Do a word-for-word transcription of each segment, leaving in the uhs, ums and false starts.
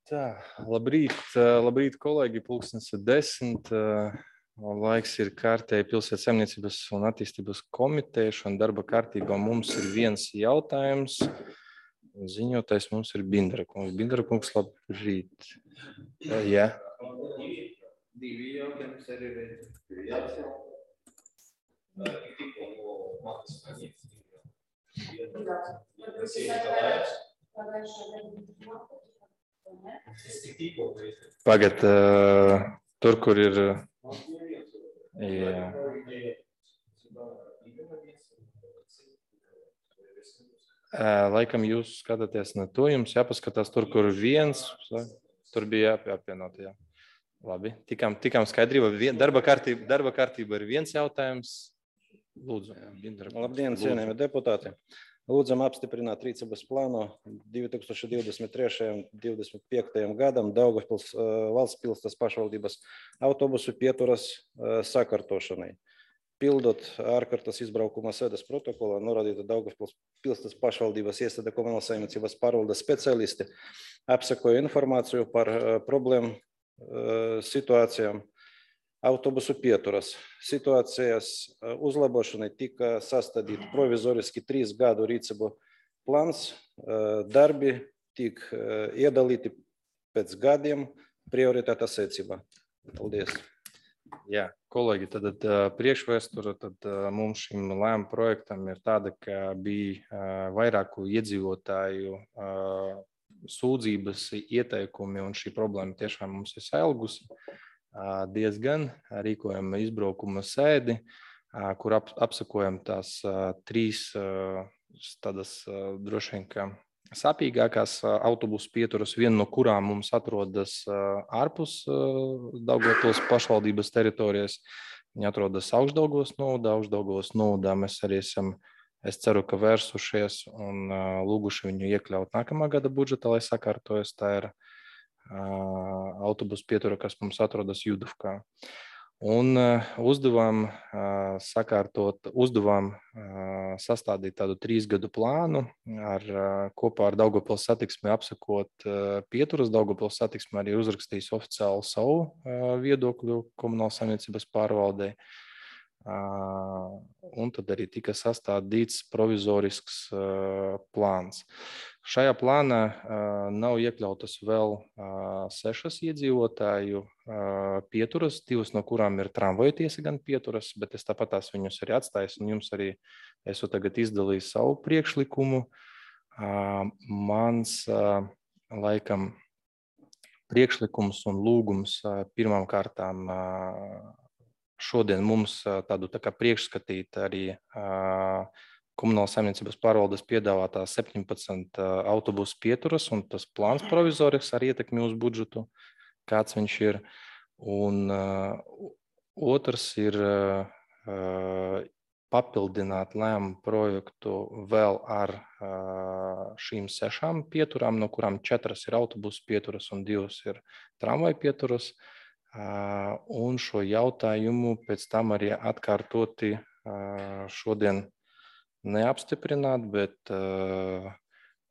Tā, labrīt, labrīt, kolēģi, pulkstens ir desmit. Laiks ir kārtēji Pilsētas saimniecības un attīstības komiteja, un darba kārtībā mums ir viens jautājums. Ziņotājs mums ir Bindra kungs. Bindra kungs, labrīt. Jā. Divi jautājums arī ir. Pagad, uh, tur, kur ir... Jā. Uh, laikam jūs skatāties ne to, jums jāpaskatās tur, kur viens, tur bija jāpienot, jā. Labi, tikām, tikām skaidrība, darba kārtība, darba kārtība ir viens jautājums. Lūdzu. Labdien, cienījami deputāti. Lūdzam apstiprināt rīcības plānu divi tūkstoši divdesmit trešajam un divdesmit piektajam gadam Daugavpils valsts pilsētas pašvaldības autobusu pieturas sakārtošanai. Pildot ārkārtas izbraukuma sēdes protokolā, norādīta Daugavpils pilsētas pašvaldības iestāde komunālās saimniecības pārvaldes speciālisti apsekoja informāciju par problēmu situācijām autobusu pieturas. Situācijas uzlabošanai tika sastādīt provizoriski trīs gadu rīcību plāns, darbi tik iedalīti pēc gadiem prioritāta secībā. Paldies. Jā, kolēģi, tad priekšvēstura tad mums šim lēmu projektam ir tāda, ka bija vairāku iedzīvotāju sūdzības ieteikumi, un šī problēma tiešām mums ir sailgusi diezgan. Rīkojam izbraukuma sēdi, kur ap, apsakojam tās trīs tādas droši vien kā sāpīgākās autobusu pieturas, viena no kurām mums atrodas ārpus Daugavpils pašvaldības teritorijas. Viņa atrodas Augšdaugavas novadā, Augšdaugavas novadā mēs arī esam, es ceru, ka vērsušies un lūguši viņu iekļaut nākamā gada budžetā, lai sakārtojas. Tā ir autobusu pietura, kas mums atrodas Judovkā. Un uzdevām sakārtot, uzdevām sastādīt tādu trīs gadu plānu ar kopā ar Daugavpils satiksmi apsakot pieturas. Daugavpils satiksmi arī uzrakstījis oficiāli savu viedokļu komunālās saimniecības pārvaldē. Un tad arī tika sastādīts provizorisks plāns. Šajā plānā nav iekļautas vēl sešas iedzīvotāju pieturas, divas no kurām ir tramvaju tiesa gan pieturas, bet es tāpat tās viņus arī atstāju, un jums arī esmu tagad izdalījis savu priekšlikumu. Mans laikam priekšlikums un lūgums pirmām kārtām šodien mums tādu tā kā priekšskatīt arī komunālās saimniecības pārvaldes piedāvātā septiņpadsmit autobusu pieturas, un tas plāns provizorisks ar ietekmi uz budžetu, kāds viņš ir. Un uh, otrs ir uh, papildināt lēmumu projektu vēl ar uh, šīm sešām pieturām, no kurām četras ir autobusu pieturas un divas ir tramvaju pieturas. Uh, un šo jautājumu pēc tam arī atkārtoti uh, šodien neapstiprināt, bet uh,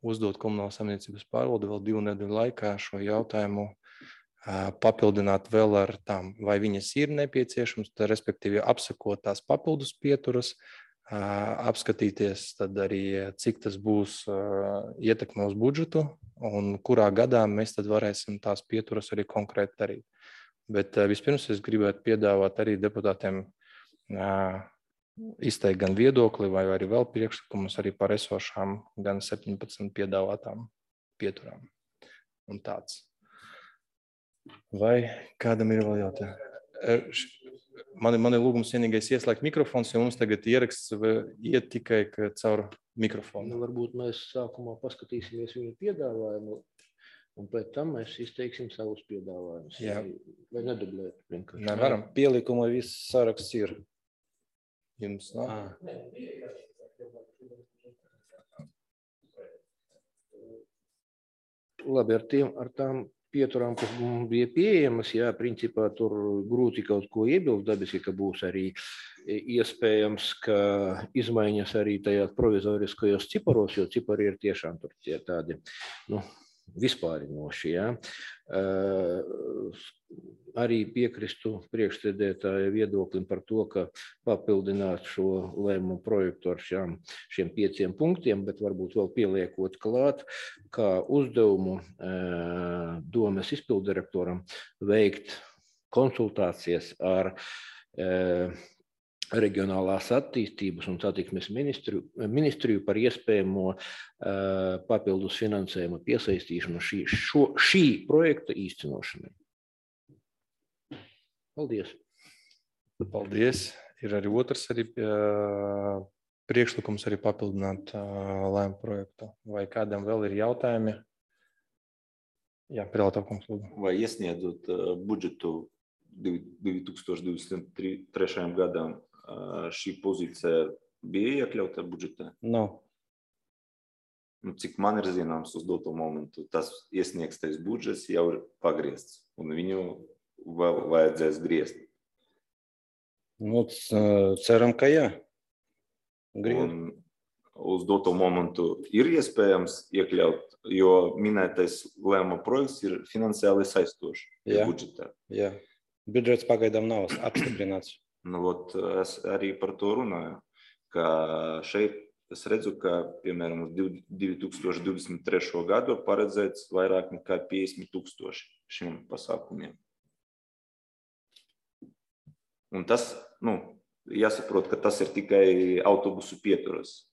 uzdot komunālās saimniecības pārvaldi vēl divu nedēļu laikā šo jautājumu uh, papildināt vēl ar tām, vai viņas ir nepieciešams, tad, respektīvi apsakot tās papildus pieturas, uh, apskatīties tad arī, cik tas būs uh, ietekme uz budžetu un kurā gadā mēs tad varēsim tās pieturas arī konkrēti darīt. Bet uh, vispirms es gribētu piedāvāt arī deputātiem uh, izteikt gan viedokli vai arī vēl priekšlikumus arī par esošām gan septiņpadsmit piedāvātām pieturām. Un tāds. Vai kādam ir vēl jautājumi? Man, man ir lūgums vienīgais ieslēgt mikrofons, jo mums tagad ieraksts iet tikai caur mikrofonu. Nu, varbūt mēs sākumā paskatīsimies viņu piedāvājumu, un pēc tam mēs izteiksim savus piedāvājumus. Jā. Vai nedublēt? Vienkārši. Nevaram. Pielikuma viss saraksts ir. Jums nav? Labi, ar, tiem, ar tām pieturām, kas mums bija pieejamas, jā, principā tur grūti kaut ko iebilst, dabiski, ka būs arī iespējams, ka izmaiņas arī tajās provizoriskajos ciparos, jo cipari ir tiešām tur tie tādi, nu, vispārinoši. Ja. Arī piekristu priekšsēdētāja viedoklim par to, ka papildināt šo lēmumu projektu ar šām, šiem pieciem punktiem, bet varbūt vēl pieliekot klāt, kā uzdevumu domes izpildirektoram veikt konsultācijas ar reģionālās attīstības un satiksmes ministriju, ministriju par iespējamo papildus finansējuma piesaistīšanu šī, šo, šī projekta īstenošanai. Paldies. Paldies. Ir arī otrs arī, uh, priekšlikums arī papildināt uh, lēmumu projektu. Vai kādam vēl ir jautājumi? Jā, Pirātā kungs, lūdzu. Vai iesniedzot uh, budžetu divi tūkstoši divdesmit trešajam gadam, uh, šī pozīcija bija iekļauta budžetā? Nav. Nu, cik man ir zināms uz doto momentu, tas iesniegtais budžets jau ir pagriezts un viņu vēl vajadzēs griezt. Nu, ceram, ka jā. Un uz doto momentu ir iespējams iekļaut, jo minētais lēmuma projekts ir finansiāli saistošs budžetā. Jā, budžets pagaidām nav apstiprināts. Nu, ot, es arī par to runāju, ka šeit es redzu, ka, piemēram, uz divi tūkstoši divdesmit trešo gadu paredzēts vairāk nekā piecdesmit tūkstoši šiem pasākumiem. Un tas, nu, jāsaprot, ka tas ir tikai autobusu pieturas.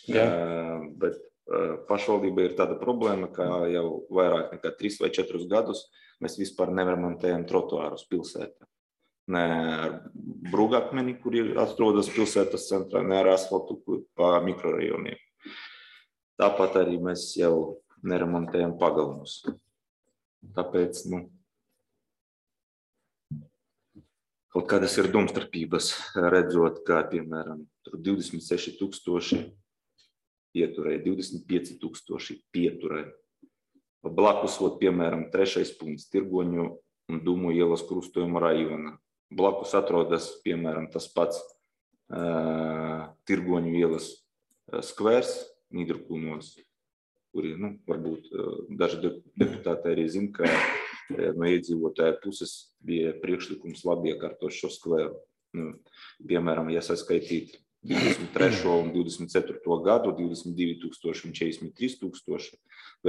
Jā. Uh, bet uh, pašvaldība ir tāda problēma, ka jau vairāk nekā trīs vai četrus gadus mēs vispār neremontējam trotuārus pilsētā. Ne ar brūgakmeni, kur atrodas pilsētas centrā, ne ar asfaltu pa mikrorajoniem. Tāpat arī mēs jau neremontējam pagalmus. Tāpēc, nu, kaut kādas ir domstarpības, redzot, kā, piemēram, divdesmit seši tūkstoši pieturai, divdesmit pieci tūkstoši pieturai. Blakus, ot, piemēram, trešais punkts Tirgoņu un Dūmu ielas krustojuma rajona. Blakus atrodas, piemēram, tas pats uh, Tirgoņu ielas uh, skvērs Nīderkulnos, kuri, nu, varbūt uh, daži deputāti arī zina, ka no iedzīvotāju puses bija priekšlikums labi iekārtot šo skvēru. Nu, piemēram, ja saskaitīt divdesmit trešo un divdesmit ceturto gadu, divdesmit divi tūkstoši un četrdesmit trīs tūkstoši,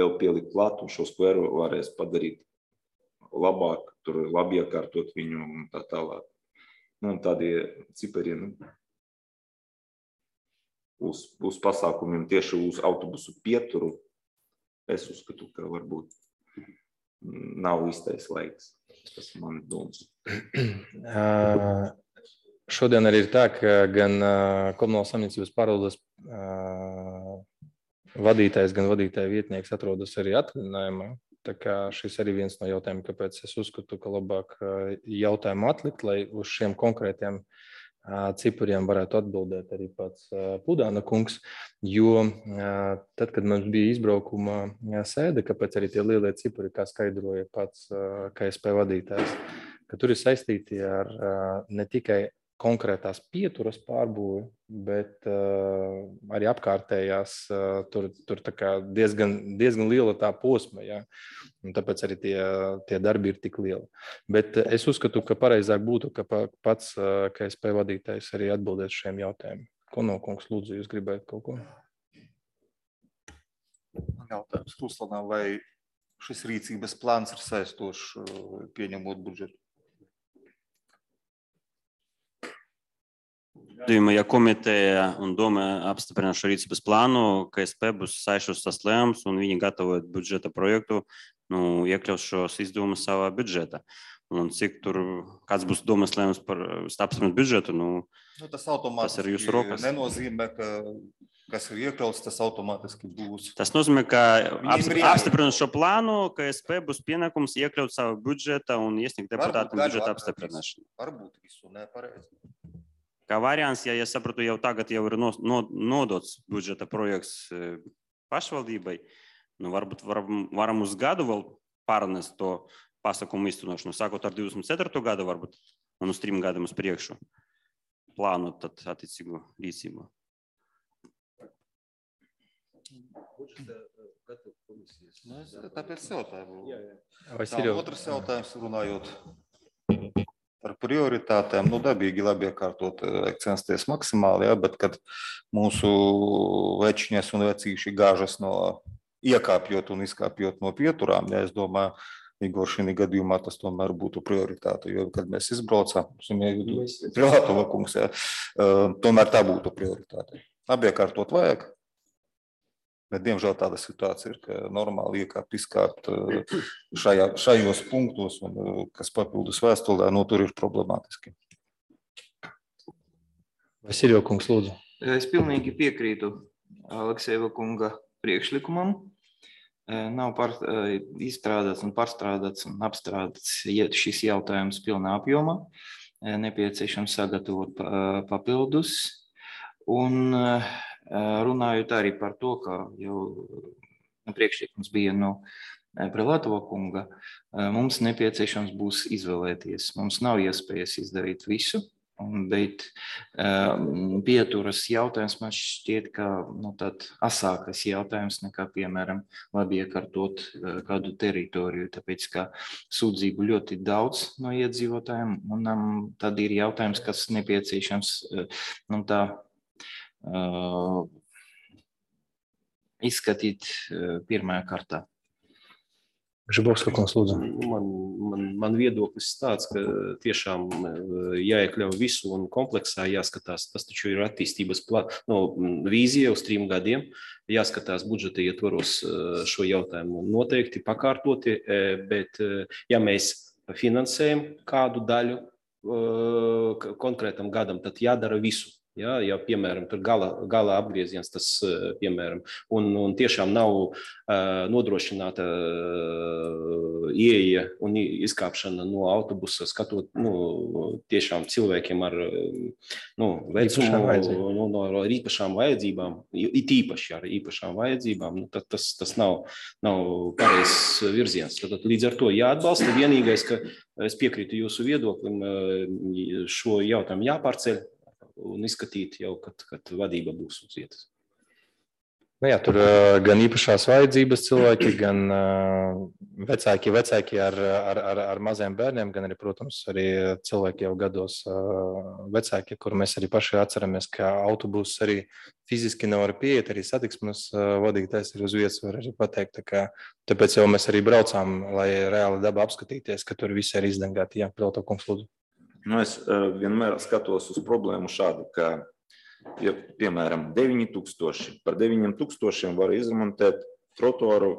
vēl pielikt klāt un šo skvēru varēs padarīt labāk, tur labi iekārtot viņu un tā tālāk. Nu, un tādi cipari, nu, uz, uz pasākumiem tieši uz autobusu pieturu, es uzskatu, ka varbūt nav īstais laiks. Tas man domas. Uh, šodien arī ir tā, ka gan uh, komunālās saimniecības pārvaldes uh, vadītājs, gan vadītāja vietnieks atrodas arī atvaļinājumā. Tā kā šis arī viens no jautājumiem, kāpēc es uzskatu, ka labāk uh, jautājumu atlikt, lai uz šiem konkrētiem cipariem varētu atbildēt arī pats Pudāna kungs, jo tad, kad mums bija izbraukuma sēde, kāpēc arī tie lielie cipari, kā skaidroja pats K S P vadītājs, ka tur ir saistīti ar ne tikai konkrētās pieturas pārbūvi, bet uh, arī apkārtējās uh, tur, tur tā kā diezgan, diezgan liela tā posma, ja? Un tāpēc arī tie, tie darbi ir tik lieli. Bet es uzskatu, ka pareizāk būtu, ka pats uh, K S P vadītājs arī atbildētu šiem jautājumiem. Konokungs, lūdzu, jūs gribētu kaut ko? Jautājums Ruslanā, vai šis rīcības plāns ir saistošs pieņemot budžetu? Ja komiteja un doma apstiprina šo rīcības plānu, K S P būs saistošs tas lēmums un viņi gatavojot budžeta projektu, nu, iekļaus šos izdevumus savā budžetā. Un cik tur, kāds būs domas lēmums par apstiprināt budžetu, nu, nu tas, tas ir jūsu rokas. Nenozīmē, ka kas ir iekļauts, tas automātiski būs. Tas nozīmē, ka apstiprinot šo plānu, K S P būs pienākums iekļaut savu budžeta un iesniegt deputātam budžeta apstiprināšanu. Varbūt visu nepareizi. Kā variants, ja es sapratu, jau tagad jau ir nodots budžeta projekts pašvaldībai, nu varbūt varam, varam uz gadu vēl pārnest to pasākumu īstenošanu, sākot ar divdesmit ceturto gadu varbūt, un uz trim gadiem uz priekšu plānot tad attiecīgu rīcību. Nu, es tāpēc jautāju. Jā, jā. Vai Tā, ir jau otrs jautājums runājot par prioritātēm. Nu, dabīgi labi iekārtot, vajag censties maksimāli, ja, bet kad mūsu večiņas un vecīši gāžas no iekāpjot un izkāpjot no pieturām, ja es domāju, Igor, šī gadījumā tas tomēr būtu prioritāte, jo, kad mēs izbraucām, Privātova kungs, ja, tomēr tā būtu prioritāte. Labi iekārtot vajag, bet diemžēl tāda situācija ir, ka normāli iekāpt, izkāpt šajā, šajos punktos, un, kas papildus vēstulē, no tur ir problemātiski. Vasiljo kungs, lūdzu. Es pilnīgi piekrītu Aleksejeva kunga priekšlikumam. Nav par, izstrādāts un pārstrādāts un apstrādāts šis jautājums pilnā apjomā. Nepieciešams sagatavot papildus. Un runājot arī par to, ka jau priekšlikums bija no Privātova kunga, mums nepieciešams būs izvēlēties. Mums nav iespējas izdarīt visu. Bet um, pieturas jautājums man šķiet, ka nu, tad asākas jautājums nekā, piemēram, labi iekārtot uh, kādu teritoriju, tāpēc, ka sūdzību ļoti daudz no iedzīvotājiem, un um, tad ir jautājums, kas nepieciešams uh, nu, tā, uh, izskatīt uh, pirmajā kārtā. Žibovska kungs, lūdzu. Man, man, man viedoklis tāds, ka tiešām jāiekļauj visu un kompleksā jāskatās. Tas taču ir attīstības plāns, no vīzija uz trim gadiem. Jāskatās budžeta ietvaros šo jautājumu noteikti pakārtoti, bet ja mēs finansējam kādu daļu konkrētam gadam, tad jādara visu. Ja, ja, piemēram, tur gala, gala apgrieziens, tas, piemēram, un, un tiešām nav uh, nodrošināta uh, ieeja un izkāpšana no autobusa, skatot, nu, tiešām cilvēkiem ar, nu, vecumu, nu, no ar īpašām vajadzībām, it īpaši ar īpašām vajadzībām, nu, tad tas, tas nav, nav pareizs virziens. Tad, līdz ar to jāatbalsta. Vienīgais, ka es piekrītu jūsu viedoklim, šo jautājumu jāpārceļ un izskatīt jau, kad, kad vadība būs uz vietas. Nu jā, tur uh, gan īpašās vajadzības cilvēki, gan uh, vecāki, vecāki ar, ar, ar, ar maziem bērniem, gan arī, protams, arī cilvēki jau gados uh, vecāki, kur mēs arī paši atceramies, ka autobus arī fiziski nevar pieiet, arī satiksmes uh, vadītājs ir uz vietas, var arī pateikt. Tā kā, tāpēc jau mēs arī braucām, lai reāli daba apskatīties, ka tur visi ir izdengāti. Jā, Privātova kungs, lūdzu. Nu, es uh, vienmēr skatos uz problēmu šādu, ka, ja, piemēram, deviņi tūkstoši, par deviņiem tūkstošiem var izremontēt trotuāru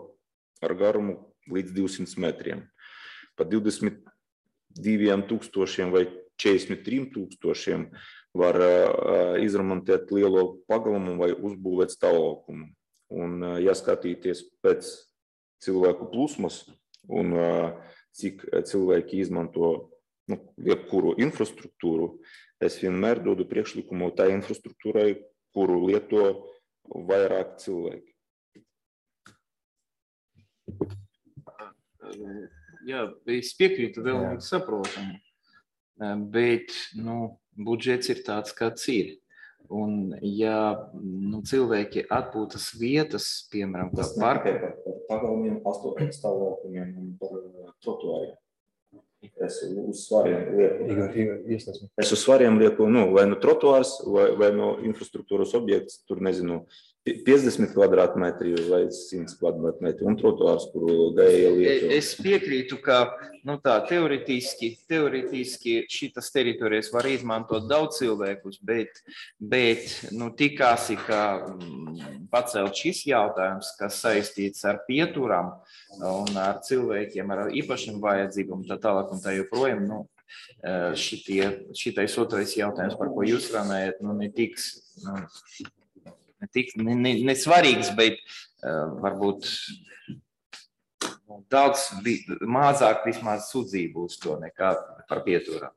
ar garumu līdz divsimt metriem. Par divdesmit diviem tūkstošiem vai četrdesmit trim tūkstošiem var uh, izremontēt lielo pagalumu vai uzbūvēt stāvlaukumu. Un, uh, ja skatīties pēc cilvēku plūsmas un uh, cik cilvēki izmanto nu, jebkuru infrastruktūru, es vienmēr dodu priekšlikumu tai infrastruktūrai, kuru lieto vairāk cilvēki. Jā, es piekrītu, vēl saprotamu, bet nu, budžets ir tāds, kāds ir. Un ja nu, cilvēki atpūtas vietas, piemēram, kā parka. Par pagalmiem, astoņiem stāvlaukumiem un par trotuāriem. Es uz svariem lieku, es uz svariem lieku nu, vai no trotuārs, vai, vai no infrastruktūras objekts, tur nezinu, piecdesmit kvadrātmetri vai simt kvadrātmetri un trotuārs, kuru gāja lietu. Es piekrītu, ka nu, tā, teoretiski, teoretiski šitas teritorijas var izmantot daudz cilvēkus, bet, bet nu, tikāsi, ka mm, pacelt šis jautājums, kas saistīts ar pieturām un ar cilvēkiem ar īpašiem vajadzībām, tā tālāk un tā joprojām, nu, šitie, šitais otrais jautājums, par ko jūs runājat, nu, netiks, nu, netik, ne, ne, ne svarīgs, bet uh, varbūt daudz mazāk vismaz sūdzību uz to nekā par pieturām.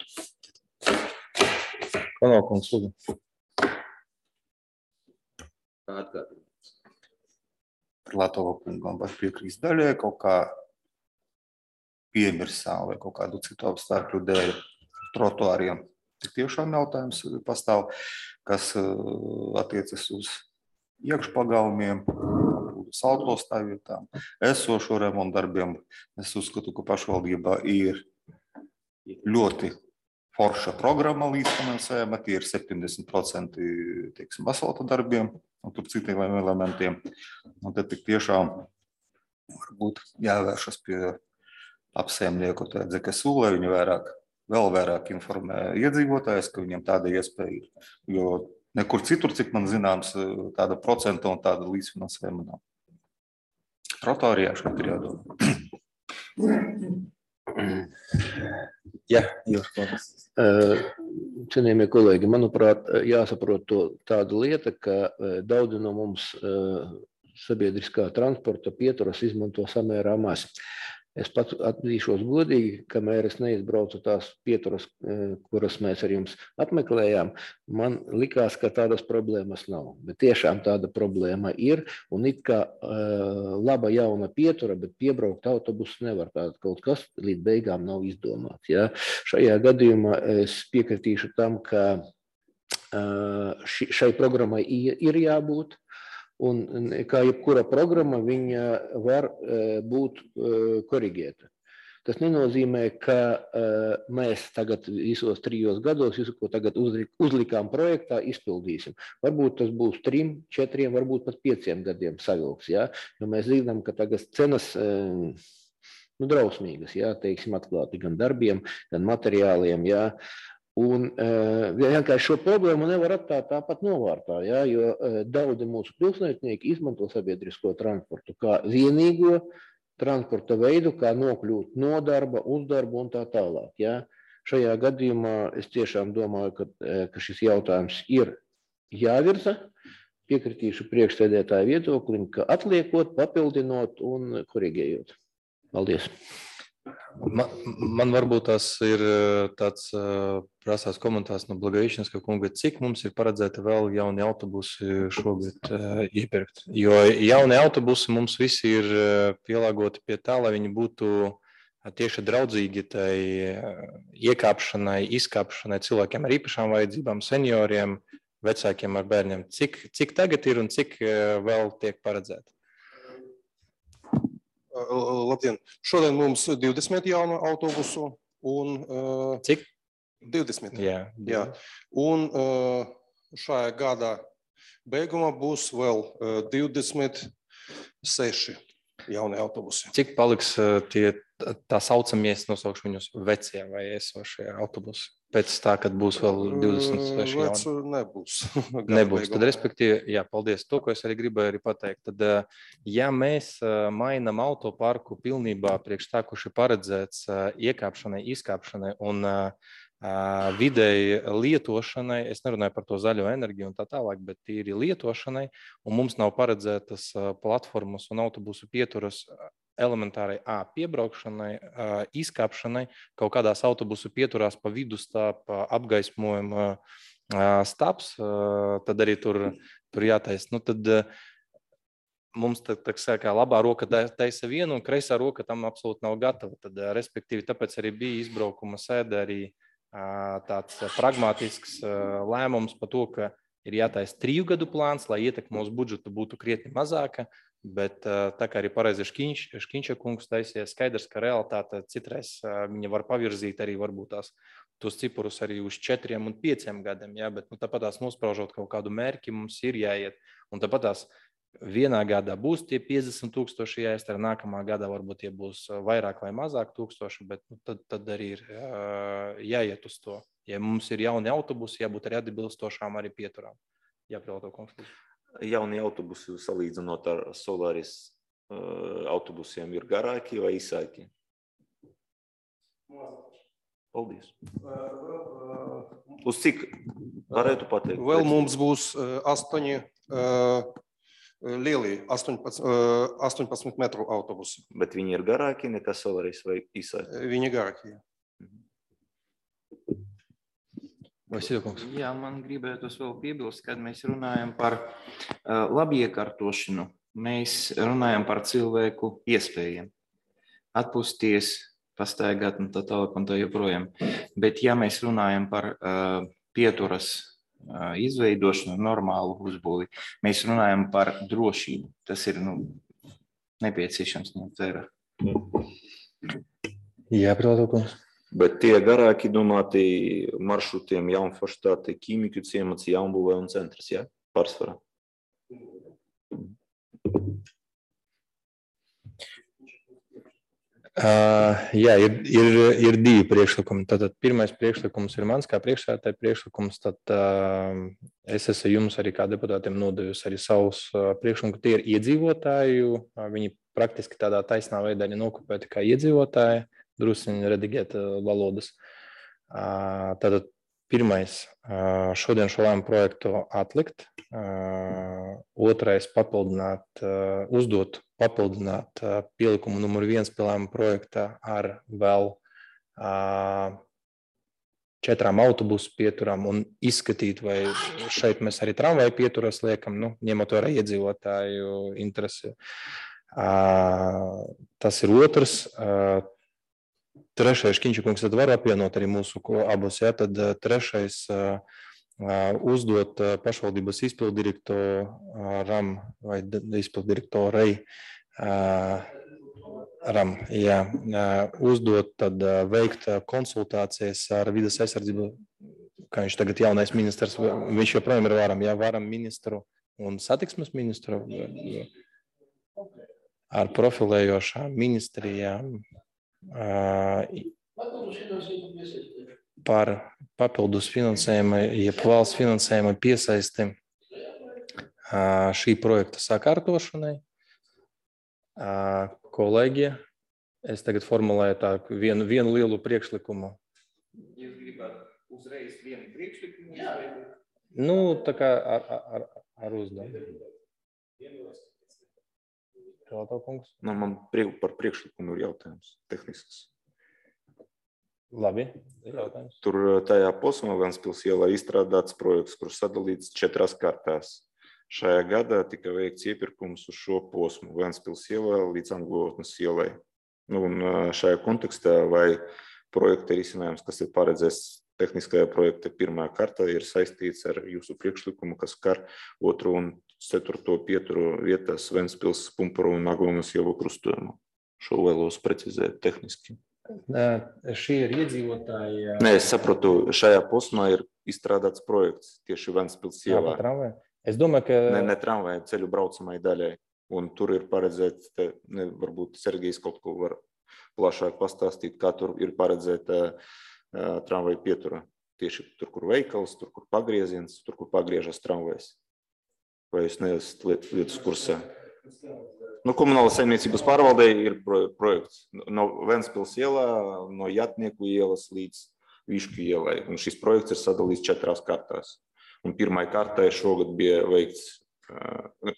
Konokums, lūdzu. Atgādināt. Privātova kungam var piekrīst daļai, kaut kā piemirsām vai kaut kādu citu apstākļu dēļ trotuāriem. Tik tiešām jautājums pastāv, kas attiecas uz iekšpagalmiem, salto stāvvietām, esošo remontu darbiem. Es uzskatu, ka pašvaldībā ir ļoti forša programma līdzfinansējuma, tie ir septiņdesmit procenti, teiksim, asfalta darbiem un tur citiem elementiem. Un tad tik tiešām varbūt jāvēršas pie apsaimnieku, tad, ka sūlē viņi vairāk, vēl vairāk informē iedzīvotājus, ka viņiem tāda iespēja ir. Jo nekur citur, cik man zināms, tāda procenta un tāda līdzfinansējuma nav. Trotorijā šeit ir jādomā. Jā, jūs paldies. Cienījamie kolēģi, manuprāt, jāsaprot to tāda lieta, ka daudzi no mums sabiedriskā transporta pieturas izmanto samērā maz. Es pats atzīšos godīgi, kamēr es neizbraucu tās pieturas, kuras mēs ar jums apmeklējām, man likās, ka tādas problēmas nav. Bet tiešām tāda problēma ir, un it kā uh, laba jauna pietura, bet piebraukt autobusu nevar. Tātad kaut kas līdz beigām nav izdomāts. Ja? Šajā gadījumā es piekritīšu tam, ka uh, ši, šai programmai ir jābūt. Un kā jebkura programma, viņa var būt korigēta. Tas nenozīmē, ka mēs tagad visos trijos gados, visu, ko tagad uzlikām projektā, izpildīsim. Varbūt tas būs trim, četriem, varbūt pat pieciem gadiem savilks. Ja? Jo mēs zinām, ka tagad cenas nu, drausmīgas, ja? Teiksim, atklāti gan darbiem, gan materiāliem. Ja? Un uh, vienkārši šo problēmu nevar atstāt tāpat novārtā, ja, jo uh, daudzi mūsu pilsētnieki izmanto sabiedrisko transportu kā vienīgo transporta veidu, kā nokļūt no darba, uz darbu un tā tālāk. Ja. Šajā gadījumā es tiešām domāju, ka, uh, ka šis jautājums ir jāvirza. Piekritīšu priekšsēdētāju viedoklim, ka atliekot, papildinot un korigējot. Paldies! Man, man varbūt tas ir tāds prasās komentārs no Blagaišinska kunga, cik mums ir paredzēta vēl jauni autobusi šogad iepirkt. Jo jauni autobusi mums visi ir pielāgoti pie tā, lai viņi būtu tieši draudzīgi tai iekāpšanai, izkāpšanai cilvēkiem ar īpašām vajadzībām, senioriem, vecākiem ar bērniem. Cik, cik tagad ir un cik vēl tiek paredzēta? Labdien! Šodien mums divdesmit jaunu autobusu un... Cik? divdesmit. Jā. Jā. Un šajā gada beigumā būs vēl divdesmit seši jauni autobusi. Cik paliks tie tā saucamie, nosaukšu viņus vecie vai esošie autobusi? Pēc tā, kad būs vēl divdesmit seši jauni? Vecu nebūs. Nebūs. Tad, respektīvi, jā, paldies. To, ko es arī gribēju arī pateikt. Tad, ja mēs mainam autoparku pilnībā priekš tā, kurš ir paredzēts iekāpšanai, izkāpšanai un vidēji lietošanai, es nerunāju par to zaļo enerģiju un tā tālāk, bet tīri lietošanai, un mums nav paredzētas platformas un autobusu pieturas elementārai A piebraukšanai, izkāpšanai, kaut kādās autobusu pieturās pa vidu stāp apgaismojuma stāps, tad arī tur, tur jātais. Nu, tad mums tā, tā kā labā roka taisa vienu un kreisā roka tam absolūti nav gatava. Tad, respektīvi, tāpēc arī bija izbraukuma sēde arī tāds pragmatisks lēmums par to, ka ir jātaisa triju gadu plāns, lai ietekme uz budžetu būtu krietni mazāka, bet tā kā arī pareizi Škiņš, Škiņša kungs taisies, skaidrs, ka realitāte citreiz viņa var pavirzīt arī varbūt tās tos ciparus arī uz četriem un pieciem gadiem, ja? Bet nu, tāpat tās nospraužot kaut kādu mērķi mums ir jāiet, un tāpat tās vienā gadā būs tie piecdesmit tūkstoši jāizdara, nākamā gadā varbūt tie būs vairāk vai mazāk tūkstoši, bet nu, tad, tad arī ir jāiet uz to. Ja mums ir jauni autobusi, jābūt arī atbilstošām arī pieturām. Jāpilota konflikts. Jauni autobusi salīdzinot ar Solaris autobusiem ir garāki vai īsāki? Paldies. Uz cik varētu pateikt? Vēl mums būs astoņi lieli, astoņpadsmit metru autobusi. Bet viņi ir garāki nekā Solaris vai īsāki? Viņi garāki, jā. Jā, man gribētos vēl piebilst, kad mēs runājam par uh, labiekārtošanu, mēs runājam par cilvēku iespējām. Atpūsties, pastaigāt un tā tālāk un tā joprojām. Bet ja mēs runājam par uh, pieturas uh, izveidošanu, normālu uzbūvi, mēs runājam par drošību. Tas ir nu, nepieciešams ņemt vērā. Jā, protams. Bet tie garāki domāti maršrutiem Jaunforštāte, Ķīmiku ciemats, Jaunbūvē un centrs, jā, pārsvarā. Uh, jā, ir, ir, ir divi priekšlikumi. Tātad pirmais priekšlikums ir mans kā priekšsēdētāja priekšlikums, tad uh, es esmu jums arī kā deputātiem nodevusi arī savus uh, priekšlikumus, tie ir iedzīvotāju, uh, viņi praktiski tādā taisnā veidā ir nokopēti kā iedzīvotāji, drusciņi redigēt uh, valodas. Uh, tātad pirmais, uh, šodien šo lēmumu projektu atlikt, uh, otrais papildināt, uh, uzdot papildināt uh, pielikumu numuru viens pie lēmuma projekta ar vēl uh, četrām autobusu pieturām un izskatīt, vai šeit mēs arī tramvaju pieturas liekam, nu, ņemot vērā iedzīvotāju interesi. Uh, tas ir otrs. Uh, trešais, Kiņčakungs, tad var apvienot arī mūsu abus, ja, tad uh, trešais uh, uh, uzdot uh, pašvaldības izpildirektoram vai izpildirektorei uh, ram, jā, uh, uzdot tad uh, veikt konsultācijas ar vides aizsardzību, kā viņš tagad jaunais ministrs, viņš joprojām ir varam, jā, varam ministru un satiksmes ministru ar profilējošām ministrijām par papildus finansējumu, jeb valsts finansējumu piesaisti šī projekta sakārtošanai. Kolēģi, es tagad formulēju tā vienu, vienu lielu priekšlikumu. Jūs gribat uzreiz vienu priekšlikumu? Nu, tā kā ar, ar, ar uzdevumu. Nu, man priek, par priekšlikumu ir jautājums, tehnisks. Labi, ir jautājums. Tur tajā posmā Ventspils ielā izstrādāts projekts, kurš sadalīts četrās kārtās. Šajā gadā tika veikts iepirkums uz šo posmu Ventspils ielā līdz Angulotnes ielai. Nu, un šajā kontekstā vai projekta risinājums, kas ir paredzēts tehniskajā projekta pirmā kārtā, ir saistīts ar jūsu priekšlikumu, kas skar otro un ceturto pieturu vietās Ventspils, Pumpuru un Aglonas ielu krustojumu. Šo vēlos precizēt tehniski. Šie ir iedzīvotāji. Nē, es saprotu, šajā posmā ir izstrādāts projekts tieši Ventspils ielā. Es domāju, ka... Ne, ne tramvai, ceļu braucamai daļai. Un tur ir paredzēts, te, ne, varbūt Sergejs kaut ko var plašāk pastāstīt, kā tur ir paredzēta uh, tramvai pietura. Tieši tur, kur veikals, tur, kur pagrieziens, tur, kur pagriežas tramvajs. Vai jūs neesat lietas kursā? Nu, komunālas saimniecības pārvaldē ir projekts no Ventspils ielā, no Jatnieku ielas līdz Višku ielai. Un šis projekts ir sadalīts četrās kārtās. Un pirmai kārtai šogad bija veikts,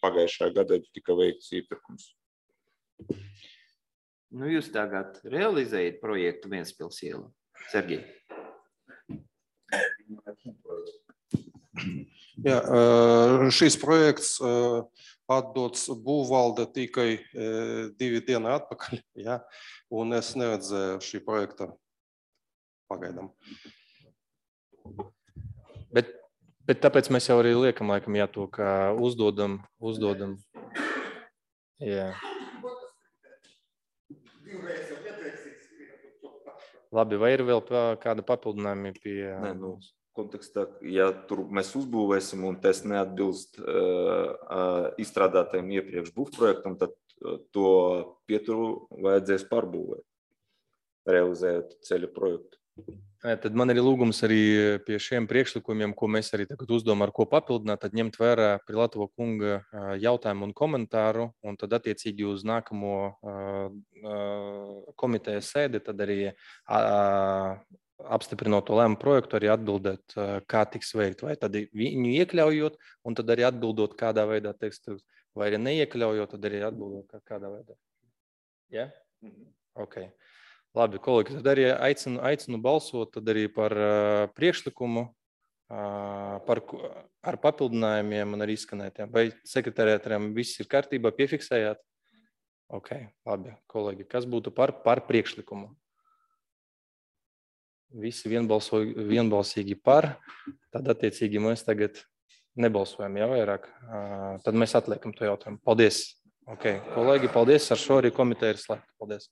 pagājušajā gadā tika veikts iepirkums. Nu, jūs tagad realizējat projektu Ventspils ielā, Sergej? Jā, šis projekts atdots būvvalde tikai divi dienu atpakaļ, jā, un es neredzēju šī projekta pagaidām. Bet, bet tāpēc mēs jau arī liekam, laikam, jā, to, ka uzdodam, uzdodam. Jā. Labi, vai ir vēl kāda papildinājumi pie... Nē, nu, kontekstā, ja tur mēs uzbūvēsim un tas neatbilst uh, uh, izstrādātajiem iepriekš būvprojektam, tad uh, to pieturu vajadzēs pārbūvēt, realizējot ceļa projektu. Tad man ir lūgums arī pie šiem priekšlikumiem, ko mēs arī tagad uzdomām, ar ko papildināt, tad ņemt vērā Prilatovo kunga jautājumu un komentāru, un tad attiecīgi uz nākamo komitejas sēdi, tad arī apstiprinot to lēmumu projektu, arī atbildēt, kā tiks veikt, vai tad viņu iekļaujot, un tad arī atbildot, kādā veidā tekstu, vai arī neiekļaujot, tad arī atbildot, kādā veidā. Ja? Ok. Labi, kolēģi, tad arī aicinu, aicinu balsot tad arī par uh, priekšlikumu, uh, par, ar papildinājumiem un arī izskanētiem. Vai sekretariātiem viss ir kārtībā, piefiksējāt? Ok, labi, kolēģi, kas būtu par, par priekšlikumu? Visi vienbalso, vienbalsīgi par, tad attiecīgi mēs tagad nebalsojam, ja vairāk. Uh, tad mēs atliekam to jautājumu. Paldies! Ok, kolēģi, paldies. Ar šo arī komiteja ir slēgta. Paldies.